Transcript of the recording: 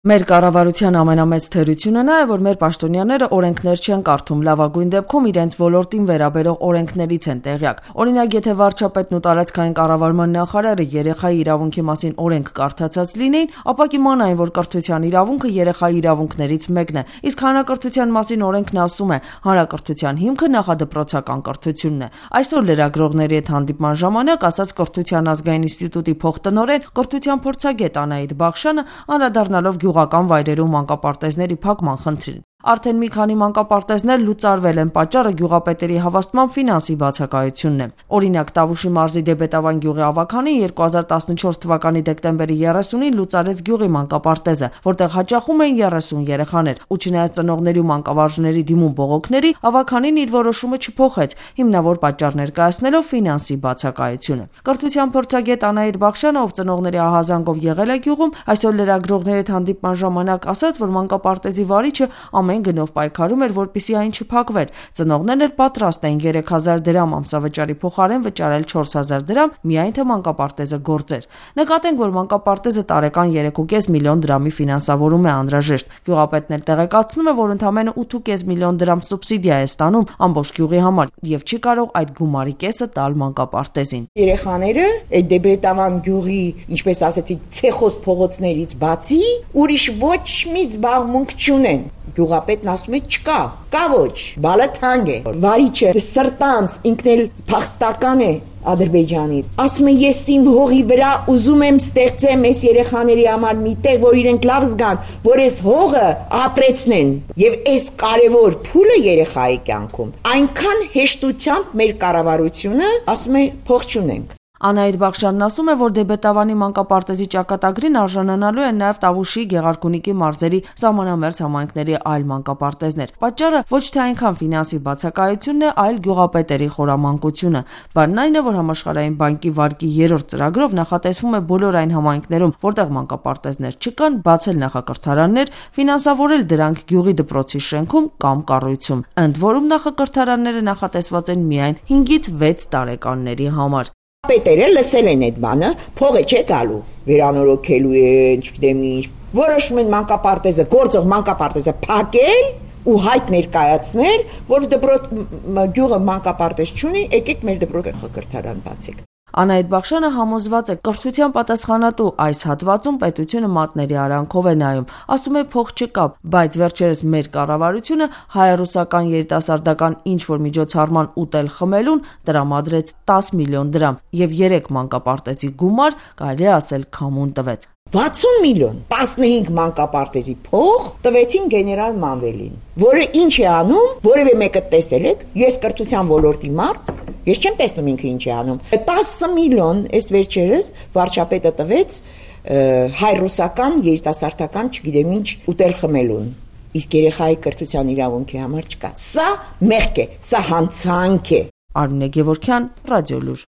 Մեր կառավարության ամենամեծ թերությունը նա է, որ մեր պաշտոնյաները օրենքներ չեն կարդում, լավագույն դեպքում իրենց ոլորտին վերաբերող օրենքներից են տեղյակ։ Օրինակ, եթե վարչապետն ու տարածքային կառավարման նախարարը երեխայի իրավունքի մասին օրենք կարդացած լինեին, ապա կիմանային, որ կրթության իրավունքը երեխայի իրավունքներից մեկն է, իսկ հանրակրթության մասին օրենքն ասում է, հանրակրթության հիմքը նախադպրոցական կրթությունն է։ Այսօր լրագրողների հետ հանդիպման ժամանակ ասաց Կրթության ազգային ինստիտուտի փոխտնօրեն, կրթության փորձագետ Անահիտ Բախշյանը, անդրադառնալով գյուղական վայրերում մանկապարտեզների փակման խնդրին։ Արդեն մի քանի մանկապարտեզներ լուծարվել են, պատճառը գյուղապետերի հավաստման ֆինանսի բացակայությունն է։ Օրինակ, Տավուշի մարզի Դեբետավան գյուղի ավագանին 2014 թվականի դեկտեմբերի 30-ին լուծարեց գյուղի մանկապարտեզը, որտեղ հաճախում էին 30 երեխաներ, ու չնայած ծնողների ու մանկավարժների դիմում բողոքների, ավագանին իր որոշումը չփոխեց, հիմնավոր պատճառ ներկայացնելով ֆինանսի բացակայությունը։ Կրթության փորձագետ Անահիտ Բախշյանը, ով ծնողների ահազանգով եղել է գյուղում, այսօր լրագրողների հետ հանդիպման ժամանակ ասաց, որ մանկապարտեզի վարիչը ամեն գնով պայքարում էր, որպեսզի այն չփակվեր։ Ծնողներն էլ պատրաստ էին 3000 դրամ ամսավճարի փոխարեն վճարել 4000 դրամ, միայն թե մանկապարտեզը գործեր։ Նկատենք, որ մանկապարտեզը տարեկան 3.5 միլիոն դրամի ֆինանսավորում է անհրաժեշտ։ Գյուղապետն էլ տեղեկացնում է, որ ընդամենը 8.5 միլիոն դրամ սուբսիդիա է ստանում ամբողջ գյուղի համար եւ չի կարող այդ գումարի կեսը տալ մանկապարտեզին։ Երեխաները այդ Դեբետավան գյուղի, ինչպես ասեցի, ցեխոտ փողոցներից բացի ուրիշ ոչ մի զբաղմունք չունեն։ Գյուղապետն ասում է չկա ոչ, բալը թանկ է։ Վարիչը սրտանց ինքն էլ փախստական է Ադրբեջանի։ Ասում է ես իմ հողի վրա ուզում եմ ստեղծեմ այս երեխաների համար մի տեղ, որ իրենք լավ զգան, որ այս հողը ապրեցնեն։ Եվ այս կարևոր փուլը երեխայի կյանքում այնքան հեշտությամբ մեր կառավարությունը ասում է փող չունենք։ Անահիտ Բախշյանն ասում է, որ Դեբետավանի մանկապարտեզի ճակատագրին արժանանալու են նաև Տավուշի, Գեղարքունիքի մարզերի սահմանամերձ համայնքների այլ մանկապարտեզներ։ Պատճառը ոչ թե այնքան ֆինանսի բացակայությունն է, այլ գյուղապետերի խորամանկությունը։ Բանն այն է, որ Համաշխարհային բանկի վարկի 3-րդ ծրագրով նախատեսվում է բոլոր այն համայնքներում, որտեղ մանկապարտեզներ չկան, բացել նախակրթարաններ, ֆինանսավորել դրանք գյուղի դպրոցի շենքում կամ կառույցում։ Ընդ որում նախակրթարանները նախատեսված են միայն 5-ից 6 տարեկանների համար։ Պետերը լսել են այդ բանը, փողը չէ գալու, վերանորոգելու են, չգիտեմ ինչ, որոշում են մանկապարտեզը, գործող մանկապարտեզը փակել ու հայտ ներկայացնել, որ գյուղը մանկապարտեզ չունի, եկեք մեր դպրոցը կրթարան բացեք։ Անահիտ Բախշյանը համոզված է, կրթության պատասխանատու այս հատվածում պետությունը մատների արանքով է նայում, ասում է փող չկա, բայց վերջերս մեր կառավարությունը հայ-ռուսական երիտասարդական ինչ-որ միջոցառման ուտել խմելուն տրամադրեց 10 միլիոն դրամ եւ 3 մանկապարտեզի գումար, կարելի է ասել, քամուն տվեց։ 60 միլիոն 15 մանկապարտեզի փող տվեցին գեներալ Մանվելին, որը ինչ է անում, որևէ մեկը տեսել եք, ես կրթության ոլորտի մարդ, ես չեմ տեսնում ինքը ինչ է անում։ 10 միլիոն այս վերջերս վարչապետը տվեց հայ-ռուսական երիտասարդական, չգիտեմ ինչ, ուտել խմելուն։ Իսկ երեխայի կրթության իրավունքի համար չկա։ Սա մեղք է, սա հանցանք է։ Արմինե Գևորգյան, Ռադիոլուր։